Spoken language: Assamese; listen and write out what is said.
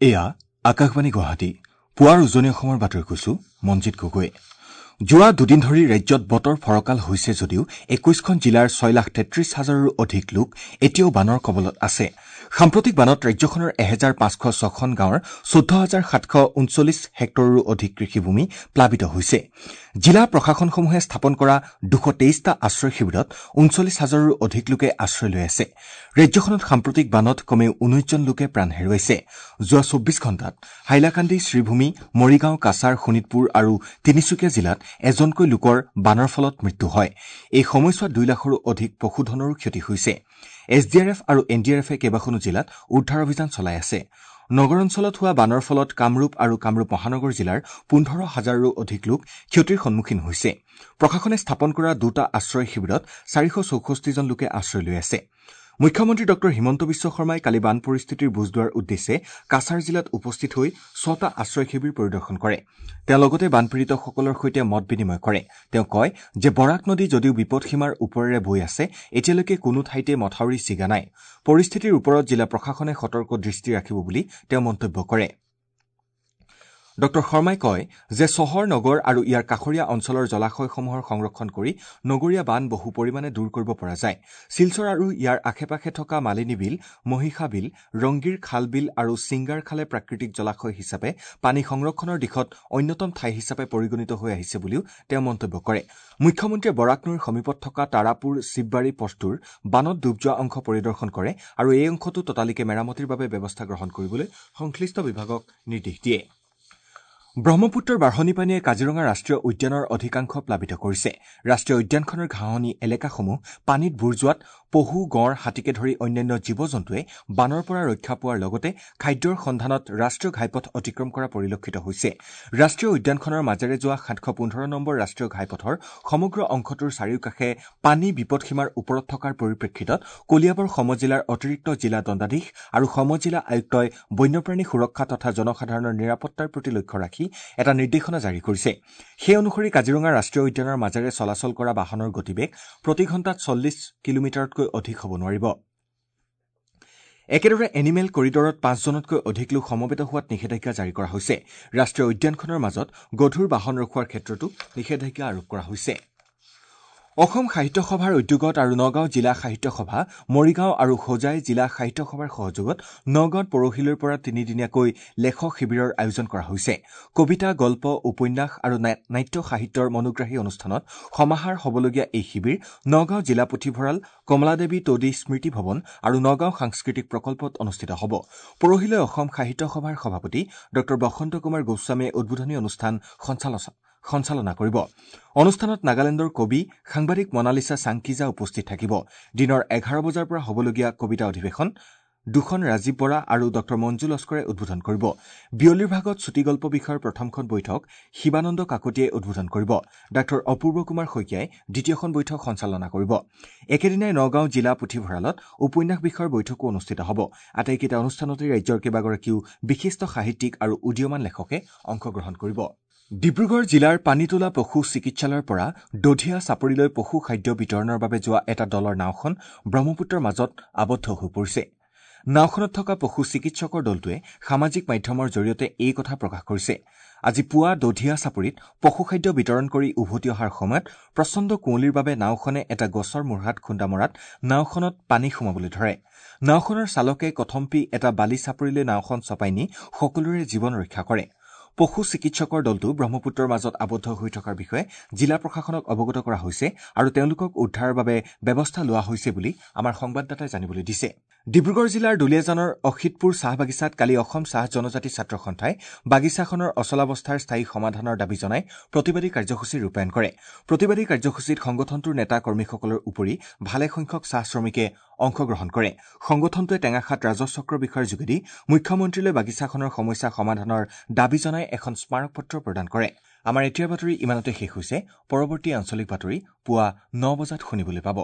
এয়া আকাশবাণী গুৱাহাটী। পুৱাৰ উজনি অসমৰ বাতৰি কৈছো মঞ্জিত গগৈ। যোৱা দুদিন ধৰি ৰাজ্যত বতৰ ফৰকাল হৈছে যদিও ২১খন জিলাৰ ৬,৩৩,০০০ৰো অধিক লোক এতিয়াও বানৰ কবলত আছে। সাম্প্ৰতিক বানত ৰাজ্যখনৰ ১৫০৬খন গাঁৱৰ ১৪,৭৩৯ হেক্টৰৰো অধিক কৃষিভূমি প্লাবিত হৈছে। জিলা প্ৰশাসনসমূহে স্থাপন কৰা ২২৩টা আশ্ৰয় শিবিৰত ৩৯ হাজাৰৰো অধিক লোকে আশ্ৰয় লৈ আছে। ৰাজ্যখনত সাম্প্ৰতিক বানত কমেও ১৯ জন লোকে প্ৰাণ হেৰুৱাইছে। যোৱা ২৪ ঘণ্টাত হাইলাকান্দি, শ্ৰীভূমি, মৰিগাঁও, কাছাৰ, শোণিতপুৰ আৰু তিনিচুকীয়া জিলাত এজনকৈ লোকৰ বানৰ ফলত মৃত্যু হয়। এই সময়ছোৱাত ২ লাখৰো অধিক পশুধনৰো ক্ষতি হৈছে। এছ ডি আৰ এফ আৰু এন ডি আৰ এফে কেইবাখনো জিলাত উদ্ধাৰ অভিযান চলাই আছে। নগৰ অঞ্চলত হোৱা বানৰ ফলত কামৰূপ আৰু কামৰূপ মহানগৰ জিলাৰ ১৫ হাজাৰৰো অধিক লোক ক্ষতিৰ সন্মুখীন হৈছে। প্ৰশাসনে স্থাপন কৰা দুটা আশ্ৰয় শিবিৰত ৪৬৪ জন লোকে আশ্ৰয় লৈ আছে। মুখ্যমন্ত্ৰী ডঃ হিমন্ত বিশ্ব শৰ্মাই কালি বান পৰিস্থিতিৰ বুজ লোৱাৰ উদ্দেশ্যে কাছাৰ জিলাত উপস্থিত হৈ ছটা আশ্ৰয় শিবিৰ পৰিদৰ্শন কৰে। তেওঁ লগতে বানপীড়িতসকলৰ সৈতে মত বিনিময় কৰে। তেওঁ কয় যে বৰাক নদী যদিও বিপদসীমাৰ ওপৰেৰে বৈ আছে, এতিয়ালৈকে কোনো ঠাইতে মথাউৰি ছিগা নাই। পৰিস্থিতিৰ ওপৰত জিলা প্ৰশাসনে সতৰ্ক দৃষ্টি ৰাখিব বুলি তেওঁ মন্তব্য কৰে। ডঃ শৰ্মাই কয় যে চহৰ, নগৰ আৰু ইয়াৰ কাষৰীয়া অঞ্চলৰ জলাশয়সমূহৰ সংৰক্ষণ কৰি নগৰীয়া বান বহু পৰিমাণে দূৰ কৰিব পৰা যায়। শিলচৰ আৰু ইয়াৰ আশে পাশে থকা মালিনী বিল, মহিষা বিল, ৰংগীৰ খাল বিল আৰু ছিংগাৰ খালে প্ৰাকৃতিক জলাশয় হিচাপে পানী সংৰক্ষণৰ দিশত অন্যতম ঠাই হিচাপে পৰিগণিত হৈ আহিছে বুলিও তেওঁ মন্তব্য কৰে। মুখ্যমন্ত্ৰীয়ে বৰাক নৈৰ সমীপত থকা তাৰাপুৰ শিৱবাৰী পথটোৰ বানত ডুব যোৱা অংশ পৰিদৰ্শন কৰে আৰু এই অংশটো ততালিকে মেৰামতিৰ বাবে ব্যৱস্থা গ্ৰহণ কৰিবলৈ সংশ্লিষ্ট বিভাগক নিৰ্দেশ দিয়ে। ব্ৰহ্মপুত্ৰৰ বাঢ়নী পানীয়ে কাজিৰঙা ৰাষ্ট্ৰীয় উদ্যানৰ অধিকাংশ প্লাবিত কৰিছে। ৰাষ্ট্ৰীয় উদ্যানখনৰ ঘাঁহনি এলেকাসমূহ পানীত বুৰ যোৱাত পহু, গঁড়, হাতীকে ধৰি অন্যান্য জীৱ জন্তুৱে বানৰ পৰা ৰক্ষা পোৱাৰ লগতে খাদ্যৰ সন্ধানত ৰাষ্ট্ৰীয় ঘাইপথ অতিক্ৰম কৰা পৰিলক্ষিত হৈছে। ৰাষ্ট্ৰীয় উদ্যানখনৰ মাজেৰে যোৱা ৭১৫ নম্বৰ ৰাষ্ট্ৰীয় ঘাইপথৰ সমগ্ৰ অংশটোৰ চাৰিওকাষে পানী বিপদসীমাৰ ওপৰত থকাৰ পৰিপ্ৰেক্ষিতত কলিয়াবৰ সমজিলাৰ অতিৰিক্ত জিলা দণ্ডাধীশ আৰু সমজিলা আয়ুক্তই বন্যপ্ৰাণী সুৰক্ষা তথা জনসাধাৰণৰ নিৰাপত্তাৰ প্ৰতি লক্ষ্য ৰাখি এটা নিৰ্দেশনা জাৰি কৰিছে। সেই অনুসৰি কাজিৰঙা ৰাষ্ট্ৰীয় উদ্যানৰ মাজেৰে চলাচল কৰা বাহনৰ গতিবেগ প্ৰতি ঘণ্টাত ৪০ কিলোমিটাৰতকৈ অধিক হ'ব নোৱাৰিব। একেদৰে এনিমেল কৰিডৰত পাঁচজনতকৈ অধিক লোক সমবেত হোৱাত নিষেধাজ্ঞা জাৰি কৰা হৈছে। ৰাষ্ট্ৰীয় উদ্যানখনৰ মাজত গধুৰ বাহন ৰখোৱাৰ ক্ষেত্ৰতো নিষেধাজ্ঞা আৰোপ কৰা হৈছে। অসম সাহিত্য সভাৰ উদ্যোগত আৰু নগাঁও জিলা সাহিত্য সভা, মৰিগাঁও আৰু হোজাই জিলা সাহিত্য সভাৰ সহযোগত নগাঁৱত পৰহিলৈৰ পৰা তিনিদিনীয়াকৈ লেখক শিবিৰৰ আয়োজন কৰা হৈছে। কবিতা, গল্প, উপন্যাস আৰু নাট্য সাহিত্যৰ মনোগ্ৰাহী অনুষ্ঠানত সমাহাৰ হ'বলগীয়া এই শিবিৰ নগাঁও জিলা পুথিভঁৰাল, কমলাদেৱী তদী স্মৃতি ভৱন আৰু নগাঁও সাংস্কৃতিক প্ৰকল্পত অনুষ্ঠিত হ'ব। পৰহিলৈ অসম সাহিত্য সভাৰ সভাপতি ডঃ বসন্ত কুমাৰ গোস্বামীয়ে উদ্বোধনী অনুষ্ঠান সঞ্চালনা কৰিব। অনুষ্ঠানত নাগালেণ্ডৰ কবি, সাংবাদিক মনালিছা চাংকিজা উপস্থিত থাকিব। দিনৰ ১১ বজাৰ পৰা হ'বলগীয়া কবিতা অধিৱেশন দুখন ৰাজীৱ বৰা আৰু ডঃ মঞ্জু লস্কৰে উদ্বোধন কৰিব। বিয়লিৰ ভাগত চুটিগল্প বিষয়ৰ প্ৰথমখন বৈঠক শিৱানন্দ কাকতিয়ে উদ্বোধন কৰিব। ডাঃ অপূৰ্ব কুমাৰ শইকীয়াই দ্বিতীয়খন বৈঠক সঞ্চালনা কৰিব। একেদিনাই নগাঁও জিলা পুথিভঁৰালত উপন্যাস বিষয়ৰ বৈঠকো অনুষ্ঠিত হ'ব। আটাইকেইটা অনুষ্ঠানতে ৰাজ্যৰ কেইবাগৰাকীও বিশিষ্ট সাহিত্যিক আৰু উদীয়মান লেখকে অংশগ্ৰহণ কৰিব। ডিব্ৰুগড় জিলাৰ পানীতোলা পশু চিকিৎসালয়ৰ পৰা দধিয়া চাপৰিলৈ পশু খাদ্য বিতৰণৰ বাবে যোৱা এটা দলৰ নাওখন ব্ৰহ্মপুত্ৰৰ মাজত আবদ্ধ হৈ পৰিছে। নাওখনত থকা পশু চিকিৎসকৰ দলটোৱে সামাজিক মাধ্যমৰ জৰিয়তে এই কথা প্ৰকাশ কৰিছে। আজি পুৱা দধিয়া চাপৰিত পশু খাদ্য বিতৰণ কৰি উভতি অহাৰ সময়ত প্ৰচণ্ড কুঁৱলীৰ বাবে নাওখনে এটা গছৰ মূঢ়াত খুন্দা মৰাত নাওখনত পানী সোমাবলৈ ধৰে। নাওখনৰ চালকে কথমপি এটা বালি চাপৰিলৈ নাওখন চপাই নি সকলোৰে জীৱন ৰক্ষা কৰে। পশু চিকিৎসকৰ দলটো ব্ৰহ্মপুত্ৰৰ মাজত আবদ্ধ হৈ থকাৰ বিষয়ে জিলা প্ৰশাসনক অৱগত কৰা হৈছে আৰু তেওঁলোকক উদ্ধাৰৰ বাবে ব্যৱস্থা লোৱা হৈছে বুলি আমাৰ সংবাদদাতাই জানিবলৈ দিছে। ডিব্ৰুগড় জিলাৰ দুলীয়াজানৰ অসিতপুৰ চাহ বাগিচাত কালি অসম চাহ জনজাতি ছাত্ৰ সন্থাই বাগিচাখনৰ অচলাৱস্থাৰ স্থায়ী সমাধানৰ দাবী জনাই প্ৰতিবাদী কাৰ্যসূচী ৰূপায়ণ কৰে। প্ৰতিবাদী কাৰ্যসূচীত সংগঠনটোৰ নেতা কৰ্মীসকলৰ উপৰি ভালেসংখ্যক চাহ শ্ৰমিকে অংশগ্ৰহণ কৰে। সংগঠনটোৱে টেঙাখাত ৰাজহ চক্ৰ বিষয়াৰ যোগেদি মুখ্যমন্ত্ৰীলৈ বাগিচাখনৰ সমস্যা সমাধানৰ দাবী জনাই এখন স্মাৰকপত্ৰ প্ৰদান কৰে। আমাৰ এতিয়াৰ বাতৰি ইমানতে শেষ হৈছে। পৰৱৰ্তী আঞ্চলিক বাতৰি পুৱা ৯ বজাত শুনিবলৈ পাব।